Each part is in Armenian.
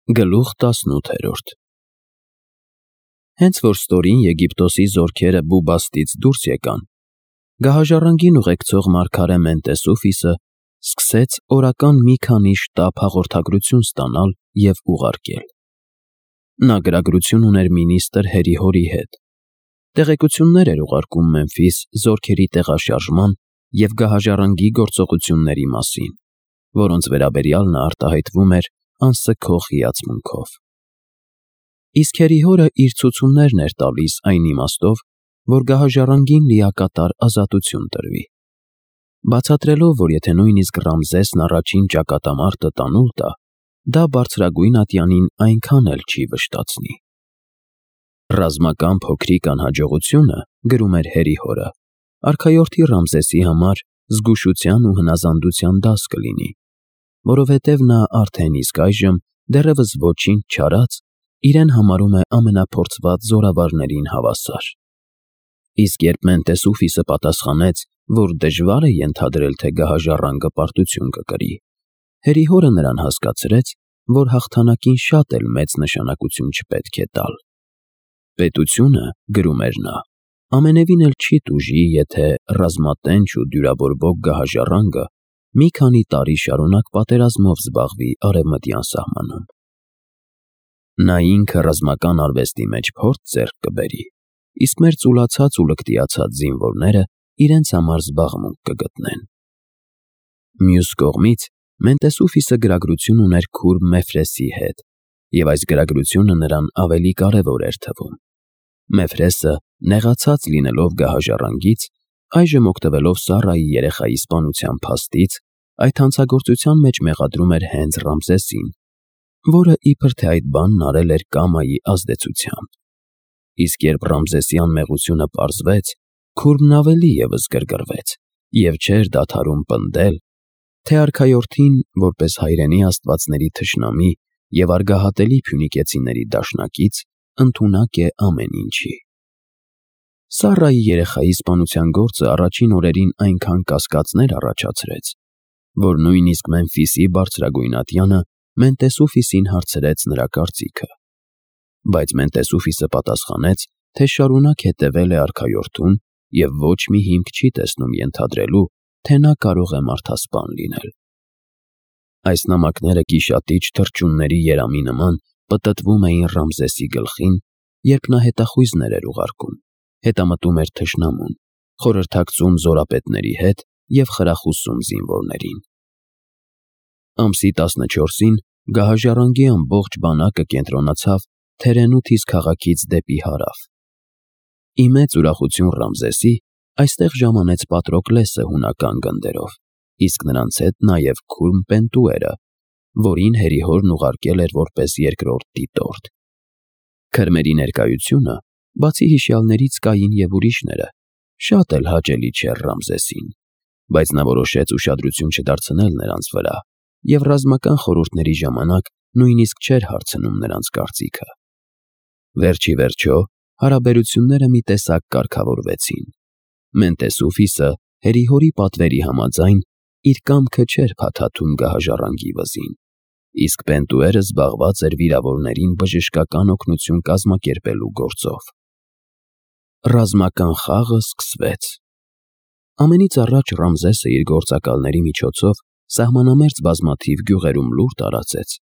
Գլուխ 18 Հենց որ ստորին Եգիպտոսի զորքերը Բուբաստից դուրս եկան, գահաժառանգին ուղեկցող մարգարե Մենտեսուֆիսը սկսեց օրական մի քանի շտապ հաղորդագրություն ստանալ և ուղարկել։ Նա գրագրություն ուներ մինիստր Հերիհորի հետ, տեղեկություններ էր ուղարկում Մեմֆիս զորքերի տեղաշարժման և գահաժառանգի գործողությունների մասին, որոնց վերաբերյալ նա արտահայտվում էր անսքող հիացմունքով։ Իսկ Հերիհորը իր ցուցումներն էր տալիս այն իմաստով, որ գահաժառանգին լիակատար ազատություն տրվի, բացատրելով, որ եթե նույնիսկ Ռամզեսն առաջին ճակատամարտը տանուլ տա, դա բարձրագույն ատյանին այնքան էլ չի վշտացնի։ Ռազմական փոքրիկ անհաջողությունը, գրում էր Հերիհորը, արքայորդի Ռամզեսի համար զգուշության ու հնազանդության դաս կլինի, որովհետև նա արդեն իսկ այժմ դեռևս ոչինչ չարած իրեն համարում է ամենափորձված զորավարներին հավասար։ Իսկ երբ Մենտեսուֆիսը պատասխանեց, որ դժվար է ենթադրել, թե գահաժառանգը պարտություն կկրի, Հերիհորը նրան հասկացրեց, որ հաղթանակին շատ էլ մեծ նշանակություն չպետք է տալ։ Պետությունը, գրում էր նա, ամենևին էլ չի տուժի, եթե ռազմատենչ ու դյուրաբորբոք գահաժառանգը մի քանի տարի շարունակ պատերազմով զբաղվի արևմտյան սահմանում։ Նա ինքը ռազմական արվեստի մեջ փորձ ձեռք կբերի, իսկ մեր ծուլացած ու լկտիացած զինվորները իրենց համար զբաղմունք կգտնեն։ Մյուս կողմից Մենտեսուֆիսը գրագրություն ուներ քուրմ Մեֆրեսի հետ, և այս գրագրությունը նրան ավելի կարևոր էր թվում։ Մեֆրեսը, նեղացած լինելով գահաժառանգից, այժմ օգտվելով Սառայի երեխայի սպանության փաստից, այդ հանցագործության մեջ մեղադրում էր հենց Ռամզեսին, որը իբր թե այդ բանն արել էր կամայի ազդեցությամբ։ Իսկ երբ Ռամզեսի անմեղությունը պարզվեց, քուրմն ավելի ևս գրգռվեց և չէր դադարում պնդել, թե արքայորդին, որպես հայրենի աստվածների թշնամի և արգահատելի փյունիկեցիների դաշնակից, ընդունակ է ամեն ինչի։ Սառայի երեխայի սպանության գործը առաջին օրերին այնքան կասկածներ առաջացրեց, որ նույնիսկ Մեմֆիսի բարձրագույն ատյանը Մենտեսուֆիսին հարցրեց նրա կարծիքը։ Բայց Մենտեսուֆիսը պատասխանեց, թե շարունակ հետևել է արքայորդուն և ոչ մի հիմք չի տեսնում ենթադրելու, թե նա կարող է մարդասպան լինել։ Այս նամակները գիշատիչ թռչունների երամի նման պտտվում էին Ռամզեսի գլխին, երբ նա հետախույզներ էր ուղարկում, հետամտում էր թշնամուն, խորհրդակցում զորապետների հետ և խրախուսում զինվորներին։ Ամսի 14-ին գահաժառանգի ամբողջ բանակը կենտրոնացավ Թերենութիս քաղաքից դեպի հարավ։ Ի մեծ ուրախություն Ռամզեսի, այստեղ ժամանեց Պատրոկլեսը հունական գնդերով, իսկ նրանց հետ նաև քուրմ Պենտուերը, որին Հերիհորն ուղարկել էր որպես երկրորդ դիտորդ։ Քրմերի ներկայությունը, բացի հիշյալներից կային և ուրիշները, շատ էլ հաճելի չէր Ռամզեսին, բայց նա որոշեց ուշադրություն չդարձնել նրանց վրա և ռազմական խորհուրդների ժամանակ նույնիսկ չէր հարցնում նրանց կարծիքը։ Վերջ ի վերջո, հարաբերությունները մի տեսակ կարգավորվեցին։ Մենտեսուֆիսը Հերիհորի պատվերի համաձայն իր կամքը չէր փաթաթում գահաժառանգի վզին, իսկ Պենտուերը զբաղված էր վիրավորներին բժշկական օգնություն կազմակերպելու գործով։ Ռազմական խաղը սկսվեց։ Ամենից առաջ Ռամզեսը իր գործակալների միջոցով սահմանամերձ բազմաթիվ գյուղերում լուր տարածեց,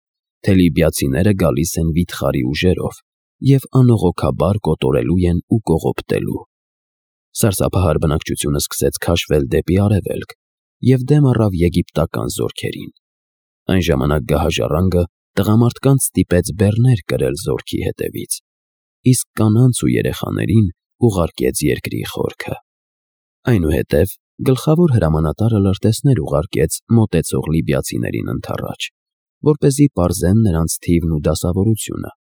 թե լիբիացիները գալիս են վիթխարի ուժերով և անողոքաբար կոտորելու են ու կողոպտելու։ Սարսափահար բնակչությունը սկսեց քաշվել դեպի արևելք և դեմ առավ եգիպտական զորքերին։ Այն ժամանակ գահաժառանգը տղամարդկանց ստիպեց բեռներ կրել զորքի հետևից, իսկ կանանց ու երեխաներին ուղարկեց երկրի խորքը։ Այնուհետև գլխավոր հրամանատարը լրտեսներ ուղարկեց մոտեցող լիբիացիներին ընդառաջ, որպեսզի պարզեն նրանց թիվն ու դասավորությունը։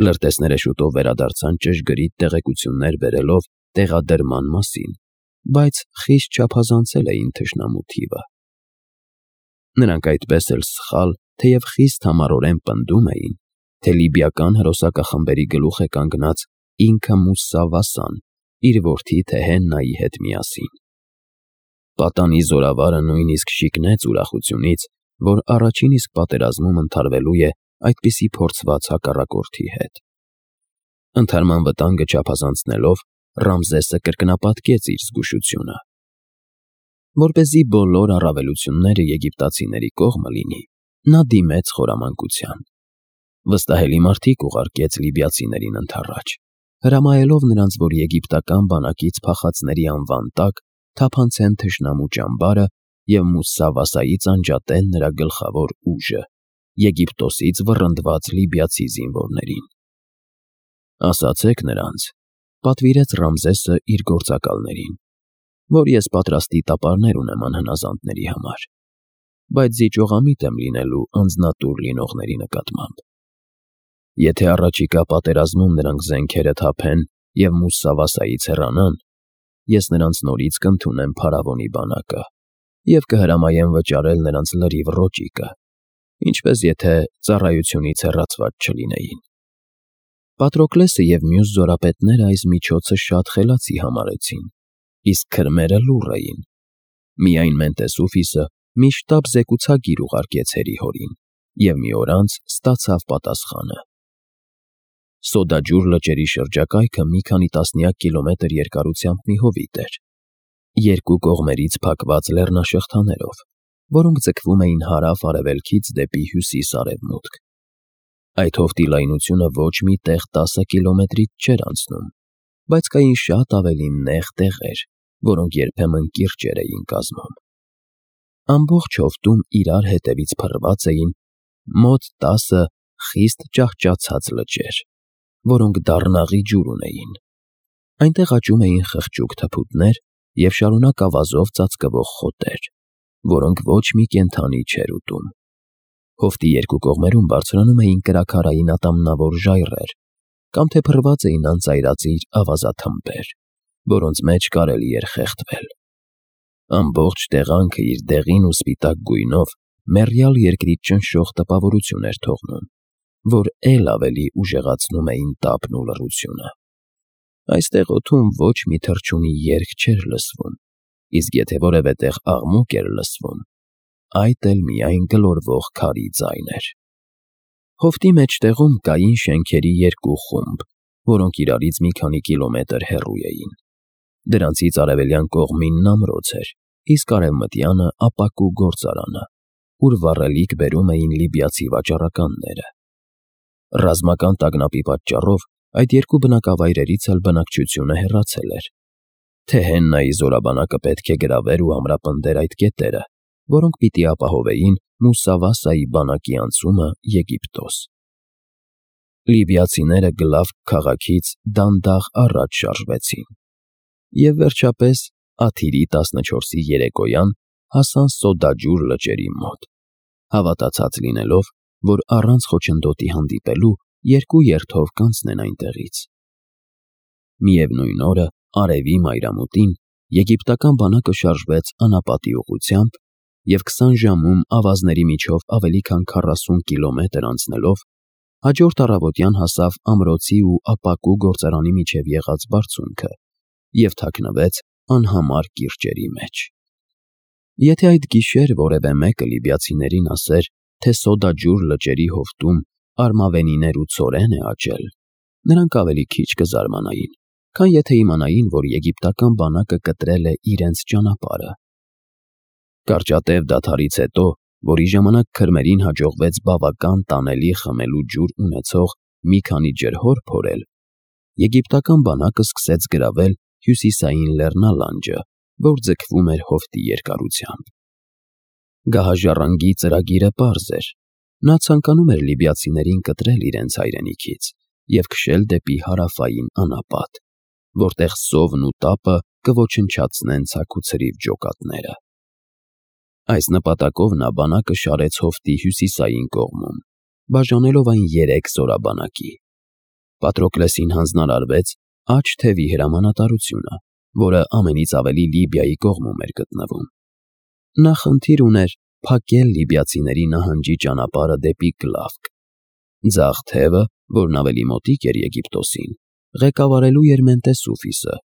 Լրտեսները շուտով վերադարձան ճշգրիտ տեղեկություններ բերելով տեղադրման մասին, բայց խիստ չափազանցել էին թշնամու թիվը։ Նրանք այդպես էլ սխալ, թեև խիստ համառորեն պնդում էին, թե լիբիական հրոսակախմբերի գլուխ է կանգնած ինքը Մուսսա Վասան իր որդի Թեհեննայի հետ միասին։ Պատանի զորավարը նույնիսկ շիկնեց ուրախությունից, որ առաջին իսկ պատերազմում ընդհարվելու է այդպիսի փորձված հակառակորդի հետ։ Ընդհարման վտանգը չափազանցնելով, Ռամզեսը կրկնապատկեց իր զգուշությունը։ Որպեսզի բոլոր առավելությունները եգիպտացիների կողմը լինի, նա դիմեց խորամանկության։ Վստահելի մարդիկ ուղարկեց լիբիացիներին ընդառաջ, հրամայելով նրանց, որ եգիպտական բանակից փախածների անվան տակ թափանցեն թշնամու ճամբարը և Մուսսավասայից անջատեն նրա գլխավոր ուժը՝ Եգիպտոսից վռնդված լիբիացի զինվորներին։ «Ասացեք նրանց», պատվիրեց Ռամզեսը իր գործակալներին, «որ ես պատրաստի տապարներ ունեմ անհնազանդների համար, բայց զիջողամիտ եմ լինելու անձնատուր լինողների նկատմամբ։ Եթե առաջիկա պատերազմում նրանք զենքերը թափեն և Մուսսավասայից հեռանան, ես նրանց նորից կընդունեմ փարավոնի բանակը և կհրամայեմ վճարել նրանց լրիվ ռոճիկը, ինչպես եթե ծառայությունից հեռացված չլինեին»։ Պատրոկլեսը և մյուս զորապետները այս միջոցը շատ խելացի համարեցին, իսկ քրմերը լուռ էին։ Միայն Մենտեսուֆիսը մի շտապ զեկուցագիր ուղարկեց հերիհորին և մի օր անց ստացավ պատասխանը։ Սոդաջուր լճերի շրջակայքը մի քանի տասնյակ կիլոմետր երկարությամբ մի հովիտ էր, երկու կողմերից փակված լեռնաշղթաներով, որոնք ձգվում էին հարավ-արևելքից դեպի հյուսիս-արևմուտք։ Այդ հովտի լայնությունը ոչ մի տեղ 10 կիլոմետրից չէր անցնում, բայց կային շատ ավելի նեղ տեղեր, որոնք երբեմն կիրճեր էին կազմում։ Ամբողջ հովտում իրար հետևից փռված էին մոտ 10 խիստ ճահճացած լճեր, որոնք դառնաղի ջուր ունեին։ Այնտեղ աճում էին խղճուկ թփուտներ և շարունակ ավազով ծածկվող խոտեր, որոնք ոչ մի կենդանի չէր ուտում։ Հովտի երկու կողմերում բարձրանում էին կրաքարային ատամնավոր ժայռեր կամ թե փռված էին անծայրածիր ավազաթմբեր, որոնց մեջ կարելի էր խեղդվել։ Ամբողջ տեղանքը իր դեղին ու սպիտակ գույնով մեռյալ երկրի ճնշող տպավորություն էր թողնում, որ էլ ավելի ուժեղացնում էին տապն ու լռությունը։ Այստեղ օդում ոչ մի թռչունի երգ չէր լսվում, իսկ եթե որևէ տեղ աղմուկ էր լսվում, այդ էլ միայն գլորվող քարի ձայն էր։ Հովտի մեջտեղում կային շենքերի երկու խումբ, որոնք իրարից մի քանի կիլոմետր հեռու էին։ Դրանցից արևելյան կողմինն ամրոց էր, իսկ արևմտյանը ապակու գործարանը, ուր վառելիք բերում էին լիբիացի վաճառականները։ Ռազմական տագնապի պատճառով այդ երկու բնակավայրերից էլ բնակչությունը հեռացել էր։ Թեհեննայի զորաբանակը պետք է գրավեր ու ամրապնդեր այդ կետերը, որոնք պիտի ապահովեին Մուսսավասայի բանակի անցումը Եգիպտոս։ Լիբիացիները Գլավկ քաղաքից դանդաղ առաջ շարժվեցին և վերջապես Աթիրի 14-ի երեկոյան հասան Սոդաջուր լճերի մոտ, հավատացած լինելով, որ առանց խոչընդոտի հանդիպելու երկու երթով կանցնեն այնտեղից։ Միևնույն օրը արևի մայրամուտին եգիպտական բանակը շարժվեց անապատի ուղղությամբ և 20 ժամում ավազների միջով ավելի քան 40 կիլոմետր անցնելով հաջորդ առավոտյան հասավ ամրոցի ու ապակու գործարանի միջև եղած բարձունքը և թաքնվեց անհամար կիրճերի մեջ։ Եթե այդ գիշեր որևէ մեկը լիբիացիներին ասեր, թե Սոդաջուր լճերի հովտում արմավենիներ ու ցորեն է աճել, նրանք ավելի քիչ կզարմանային, քան եթե իմանային, որ եգիպտական բանակը կտրել է իրենց ճանապարհը։ Կարճատև դադարից հետո, որի ժամանակ քրմերին հաջողվեց բավական տանելի խմելու ջուր ունեցող մի քանի ջրհոր փորել, եգիպտական բանակը սկսեց գրավել հյուսիսային լեռնալանջը, որ ձգվում էր հովտի երկարությամբ։ Գահաժառանգի ծրագիրը պարզ էր։ Նա ցանկանում էր լիբիացիներին կտրել իրենց հայրենիքից և քշել դեպի հարավային անապատ, որտեղ սովն ու տապը կոչնչացնեն ցաքուցրիվ ջոկատները։ Այս նպատակով նա բանակը շարեց հովտի հյուսիսային կողմում, բաժանելով այն 3 զորաբանակի։ Պատրոկլեսին հանձնարարվեց աջ թևի հրամանատարությունը, որը ամենից ավելի Լիբիայի կողմում էր գտնվում։ Նա խնդիր ուներ փակել լիբիացիների նահանջի ճանապարհը դեպի Գլավկ։ Ձախ թևը, որն ավելի մոտիկ էր Եգիպտոսին, ղեկավարելու էր Մենտեսուֆիսը,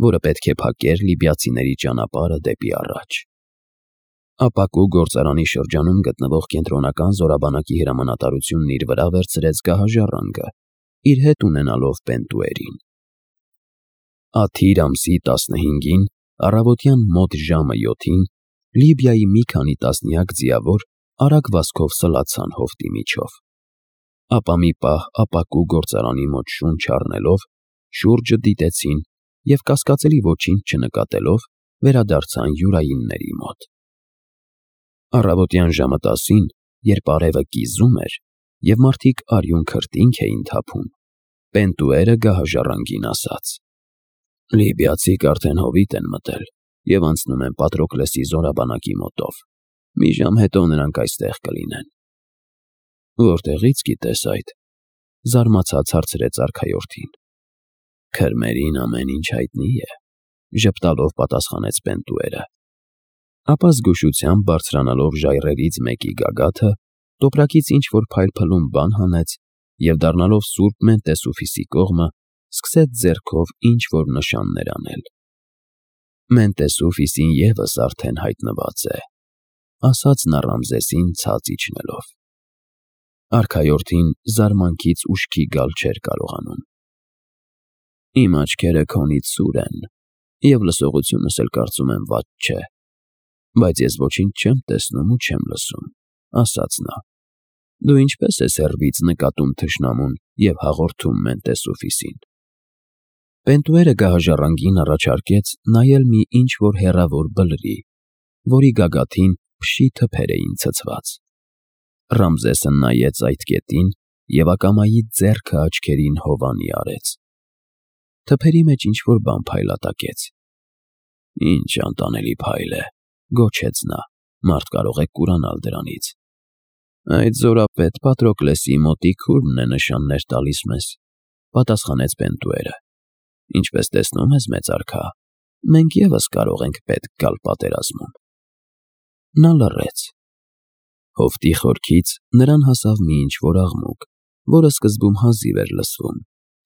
որը պետք է փակեր լիբիացիների ճանապարհը դեպի առաջ։ Ապակու գործարանի շրջանում գտնվող կենտրոնական զորաբանակի հրամանատարությունն իր վրա վերցրեց գահաժառանգը, իր հետ ունենալով Պենտուերին։ Աթիր ամսի 15-ին, առավոտյան մոտ ժամը 7-ին, Լիբիայի մի քանի տասնյակ ձիավոր արագ վազքով սլացան հովտի միջով։ Ապա մի պահ ապակու գործարանի մոտ շունչ առնելով, շուրջը դիտեցին և կասկածելի ոչինչ չնկատելով վերադարձան յուրայինների մոտ։ Առավոտյան ժամը 10-ին, երբ արևը կիզում էր և մարդիկ արյուն քրտինք էին թափում, Պենտուերը գահաժառանգին ասաց. «Լիբիացիք արդեն հովիտ են մտել և անցնում են Պատրոկլեսի զորաբանակի մոտով։ Մի ժամ հետո նրանք այստեղ կլինեն»։ «Որտեղի՞ց գիտես այդ», զարմացած հարցրեց արքայորդին։ «Քրմերին ամեն ինչ հայտնի է», ժպտալով պատասխանեց Պենտուերը։ Ապա զգուշությամբ բարձրանալով ժայռերից մեկի գագաթը, տոպրակից ինչ-որ փայլփլուն բան հանեց և դառնալով սուրբ Մենտեսուֆիսի կողմը, սկսեց ձեռքով ինչ-որ նշաններ անել։ «Մենտեսուֆիսին ևս արդեն հայտնված է», ասաց նա Ռամզեսին ցած իջնելով։ Արքայորդին զարմանքից ուշքի գալ չէր կարողանում։ «Իմ աչքերը քոնից սուր են, և լսողությունս էլ կարծում եմ վատ չէ, բայց ես ոչինչ չեմ տեսնում ու չեմ լսում», ասաց նա։ «Դու ինչպե՞ս ես հեռվից նկատում թշնամուն և հաղորդում Մենտեսուֆիսին»։ Պենտուերը գահաժառանգին առաջարկեց նայել մի ինչ-որ հեռավոր բլրի, որի գագաթին փշի թփեր էին ցցված։ Ռամզեսը նայեց այդ կետին և ակամայի ձեռքը աչքերին հովանի արեց։ Թփերի մեջ ինչ-որ բան փայլատակեց։ «Ինչ անտանելի փայլ է», գոչեց նա, «մարդ կարող է կուրանալ դրանից»։ «Այդ զորապետ Պատրոկլեսի մոտիկ քուրմն է նշաններ տալիս մեզ», պատասխանեց Պենտուերը։ «Ինչպես տեսնում ես, մեծ արքա, մենք ևս կարող ենք պետք գալ պատերազմում»։ Նա լռեց։ Հովտի խորքից նրան հասավ մի ինչ-որ աղմուկ, որը սկզբում հազիվ էր լսվում,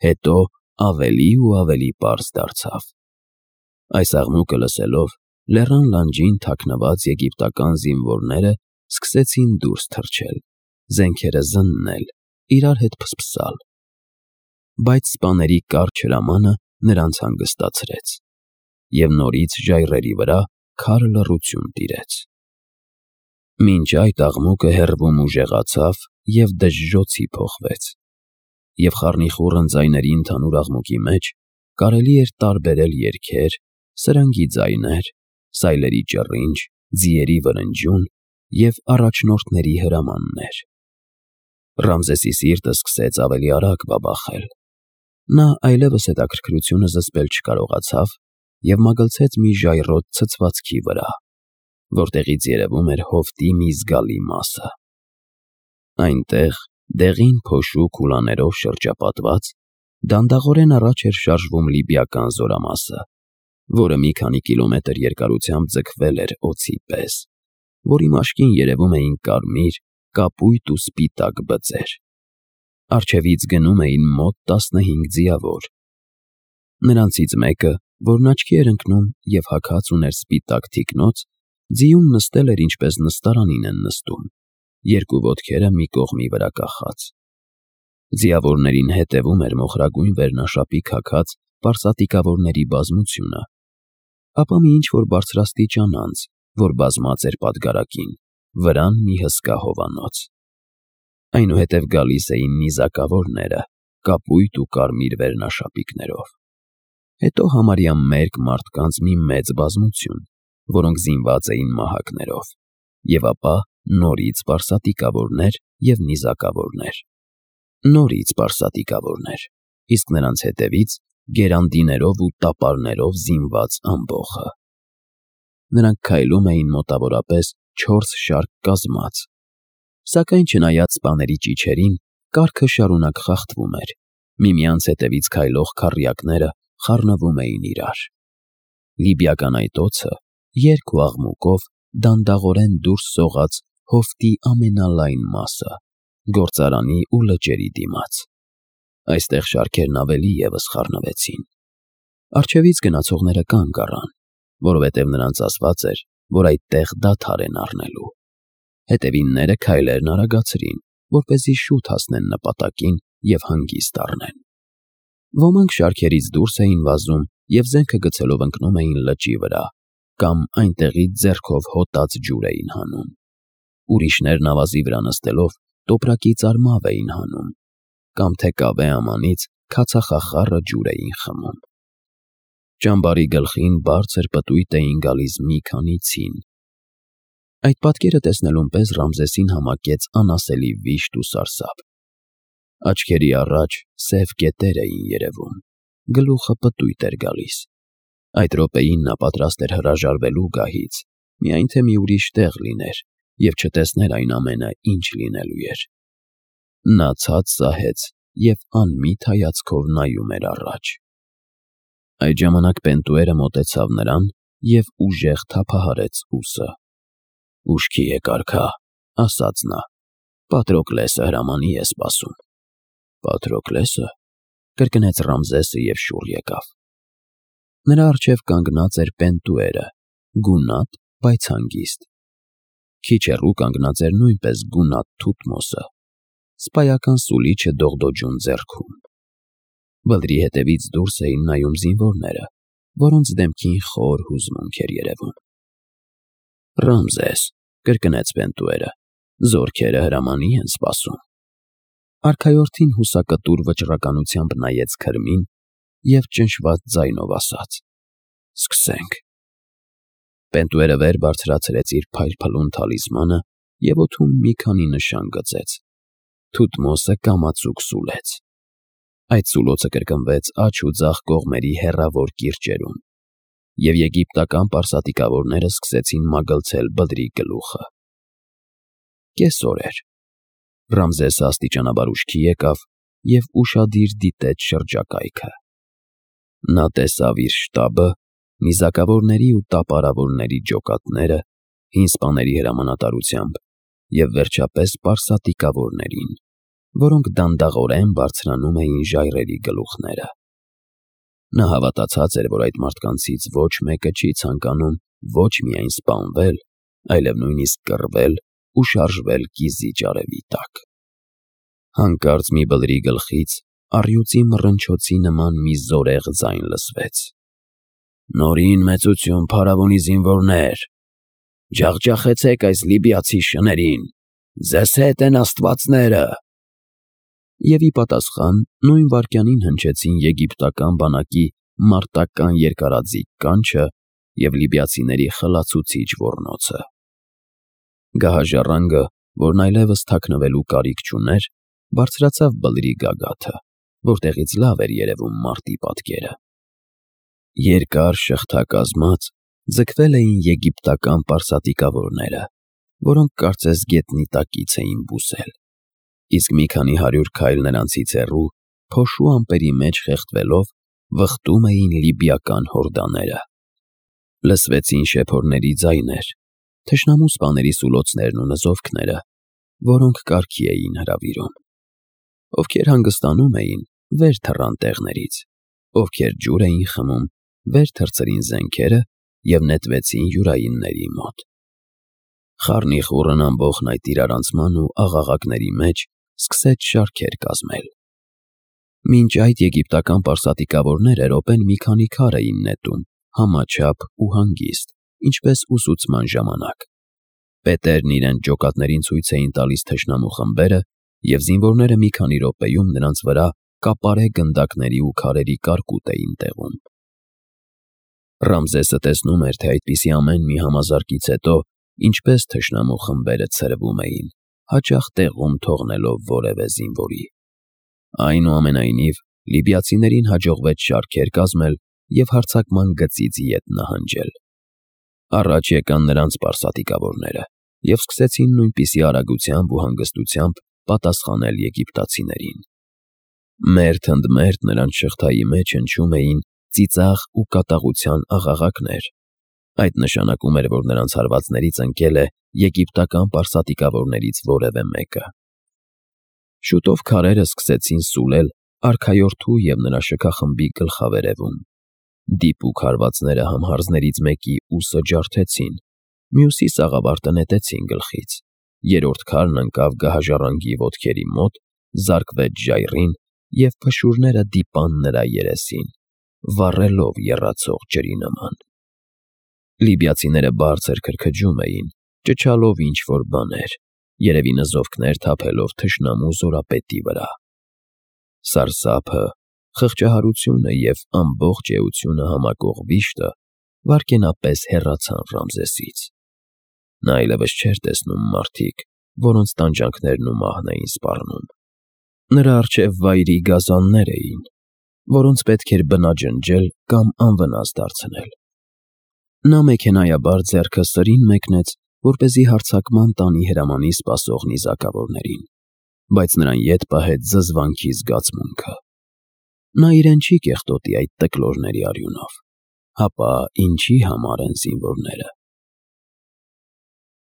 հետո ավելի ու ավելի պարզ դարձավ։ Այս աղմուկը լսելով, լեռան լանջին թաքնված եգիպտական զինվորները սկսեցին դուրս թռչել, զենքերը զննել, իրար հետ փսփսալ։ Բայց սպաների կարճ հրամանը նրանց հանգստացրեց, և նորից ժայռերի վրա քար լռություն տիրեց։ Մինչ այդ աղմուկը հեռվում ուժեղացավ և դժժոցի փոխվեց, և խառնիխուռն ձայների ընդհանուր աղմուկի մեջ կարելի էր տարբերել երգեր, սրնգի ձայներ, սայլերի ճռինչ, ձիերի վրնջյուն և առաջնորդների հրամաններ։ Ռամզեսի սիրտը սկսեց ավելի արագ բաբախել։ Նա այլևս հետաքրքրությունը զսպել չկարողացավ և մագլցեց մի ժայռոտ ցցվածքի վրա, որտեղից երևում էր հովտի մի զգալի մասը։ Այնտեղ, դեղին փոշու քուլաներով շրջապատված, դանդաղորեն առաջ էր շարժվում լիբիական զորամասը, որը մի քանի կիլոմետր երկարությամբ ձգվել էր օձի պես, որի մաշկին երևում էին կարմիր, կապույտ ու սպիտակ բծեր։ Առջևից գնում էին մոտ 15 ձիավոր։ Նրանցից մեկը, որն աչքի էր ընկնում և հագած ուներ սպիտակ թիկնոց, ձիուն նստել էր ինչպես նստարանին են նստում, երկու ոտքերը մի կողմի վրա կախած։ Ձիավորներին հետևում էր մոխրագույն վերնաշապիկ հագած պարսատիկավորների բազմությունը, ապա մի ինչ-որ բարձրաստիճան անձ, որ բազմած էր պատգարակին, վրան մի հսկա հովանոց։ Այնուհետև գալիս էին նիզակավորները, կապույտ ու կարմիր վերնաշապիկներով։ Հետո համարյա մերկ մարդկանց մի մեծ բազմություն, որոնք զինված էին մահակներով, և ապա նորից պարսատիկավորներ և նիզակավորներ։ Նորից պարսատիկավորներ, իսկ նրանց հետևից գերանդիներով ու տապարներով զինված ամբոխը։ Նրանք քայլում էին մոտավորապես 4 շարք կազմած, սակայն չնայած սպաների ճիչերին, կառքը շարունակ խախտվում էր, միմյանց հետևից քայլող քառյակները խառնվում էին իրար։ Լիբիական այդ օձը երգ ու աղմուկով դանդաղորեն դուրս սողաց հովտի ամենալայն մասը, գործարանի ու լճերի դիմաց։ Այստեղ շարքերն ավելի ևս խառնվեցին։ Առջևից գնացողները կանգ առան, որովհետև նրանց ասված էր, որ այդտեղ դադար են առնելու։ Հետևինները քայլերն արագացրին, որպեսզի շուտ հասնեն նպատակին և հանգիստ առնեն։ Ոմանք շարքերից դուրս էին վազում և զենքը գցելով ընկնում էին լճի վրա, կամ այնտեղից ձեռքով հոտած ջուր էին հանում։ Ուրիշներն ավազի վրա նստելով տոպրակից արմավ էին հանում, կամ թե կավե ամանից քացախախառը ջուր էին խմում։ Ճամբարի գլխին բարձր պտույտ էին գալիս մի քանի ցին։ Այդ պատկերը տեսնելուն պես Ռամզեսին համակեց անասելի վիշտ ու սարսափ։ Աչքերի առաջ սև կետեր էին երևում, գլուխը պտույտ էր գալիս։ Այդ րոպեին նա պատրաստ էր հրաժարվելու գահից, միայն թե մի ուրիշ տեղ լիներ և չտեսներ այն ամենը, ինչ լինելու էր։ Նա ցած սահեց և անմիտ հայացքով նայում էր առաջ։ Այդ ժամանակ Պենտուերը մոտեցավ նրան և ուժեղ թափահարեց ուսը։ «Ուշքի եք, արքա», ասաց նա, «Պատրոկլեսը հրամանի է սպասում»։ «Պատրոկլեսը», կրկնեց Ռամզեսը և շուռ եկավ։ Նրա առջև կանգնած էր Պենտուերը, գունատ, բայց հանգիստ։ Քիչ հեռու կանգնած էր նույնպես գունատ Թութմոսը, սպայական սուլիչը դողդոջուն ձեռքում։ Բլրի հետևից դուրս էին նայում զինվորները, որոնց դեմքին խոր հուզմունք էր երևում։ «Ռամզես», կրկնեց Պենտուերը, «զորքերը հրամանի են սպասում»։ Արքայորդին հուսակտուր վճռականությամբ նայեց քրմին և ճնշված ձայնով ասաց. «Սկսենք»։ Պենտուերը վեր բարձրացրեց իր փայլփլուն թալիսմանը և օդում մի քանի նշան գծեց։ Թութմոսը կամացուկ սուլեց։ Այդ սուլոցը կրկնվեց աջ ու ձախ կողմերի հեռավոր կիրճերում, և եգիպտական պարսատիկավորները սկսեցին մագլցել բլրի գլուխը։ Կեսօր էր։ Ռամզեսը աստիճանաբար ուշքի եկավ և ուշադիր դիտեց շրջակայքը։ Նա տեսավ իր շտաբը, նիզակավորների ու տապարավորների ջոկատները, հին սպաների հրամանատարությամբ և վերջապես պարսատիկավորներին, որոնք դանդաղորեն բարձրանում էին ժայռերի գլուխները։ Նա հավատացած էր, որ այդ մարդկանցից ոչ մեկը չի ցանկանում ոչ միայն սպանվել, այլև նույնիսկ կռվել ու շարժվել կիզիչ արևի տակ։ Հանկարծ մի բլրի գլխից առյուծի մռնչոցի նման մի զորեղ ձայն լսվեց. «Նորին մեծություն փարավոնի զինվորներ, ջախջախեցեք այս լիբիացի շներին, ձեզ հետ են աստվածները»։ Եվ ի պատասխան նույն վայրկյանին հնչեցին եգիպտական բանակի մարտական երկարաձիգ կանչը և լիբիացիների խլացուցիչ ոռնոցը։ Գահաժառանգը, որն այլևս թաքնվելու կարիք չուներ, բարձրացավ բլրի գագաթը, որտեղից լավ էր երևում մարտի պատկերը։ Երկար շղթակազմած ձգվել էին եգիպտական պարսատիկավորները, որոնք կարծես գետնի տակից էին բուսել, իսկ մի քանի 100 քայլ նրանցից հեռու, փոշու ամպերի մեջ խեղդվելով, վխտում էին լիբիական հորդաները։ Լսվեցին շեփորների ձայներ, թշնամու սպաների սուլոցներն ու նզովքները, որոնք կարգի էին հրավիրում։ Ովքեր հանգստանում էին, վեր թռան տեղներից, ովքեր ջուր էին խմում, վեր թռցրին զենքերը և նետվեցին յուրայինների մոտ։ Խառնիխուռն ամբոխն այդ իրարանցման ու աղաղակների մեջ սկսեց շարքեր կազմել։ Մինչ այդ եգիպտական պարսատիկավորները րոպեն մի քանի քար էին նետում, համաչափ ու հանգիստ, ինչպես ուսուցման ժամանակ։ Պետերն իրենց ջոկատներին ցույց էին տալիս թշնամու խմբերը, և զինվորները մի քանի րոպեում նրանց վրա կապարե գնդակների ու քարերի կարկուտ էին տեղում։ Ռամզեսը տեսնում էր, թե այդպիսի ամեն մի համազարկից հետո ինչպես թշնամու խմբերը ցրվում էին, հաճախ տեղում թողնելով որևէ զինվորի։ Այնուամենայնիվ, լիբիացիներին հաջողվեց շարքեր կազմել և հարձակման գծից ետ նահանջել։ Առաջ եկան նրանց պարսատիկավորները և սկսեցին նույնպիսի արագությամբ ու հանգստությամբ պատասխանել եգիպտացիներին։ Մերթ ընդ մերթ նրանց շղթայի մեջ հնչում էին ծիծաղ ու կատաղության աղաղակներ։ Այդ նշանակում էր, որ նրանց հարվածներից ընկել է եգիպտական պարսատիկավորներից որևէ մեկը։ Շուտով քարերը սկսեցին սուլել արքայորդու և նրա շքախմբի գլխավերևում։ Դիպուկ հարվածները համհարձներից մեկի ուսը ջարդեցին, Մյուսի սաղավարտը նետեցին գլխից, երրորդ քարն ընկավ գահաժառանգի ոտքերի մոտ, զարկվեց ժայռին և փշուրները դիպան նրա երեսին, վառելով եռացող ջրի նման։ Լիբիացիները բարձր քրքջում էին, ճչալով ինչ֊որ բաներ, երևի նզովքներ թափելով թշնամու զորապետի վրա։ Սարսափը, խղճահարությունը և ամբողջ էությունը համակող վիշտը վայրկենապես հեռացան Ռամզեսից։ Նա այլևս չէր տեսնում մարդիկ, որոնց տանջանքներն ու մահն էին սպառնում։ Նրա առջև վայրի գազաններ էին, որոնց պետք էր բնաջնջել կամ անվնաս դարձնել։ Նա մեքենայաբար ձեռքը սրին մեկնեց, որպեսզի հարձակման տանի հրամանի սպասող նիզակավորներին, բայց նրան ետ պահեց զզվանքի զգացմունքը։ Նա իրեն չի կեղտոտի այդ տկլորների արյունով, հապա ինչի համար են զինվորները։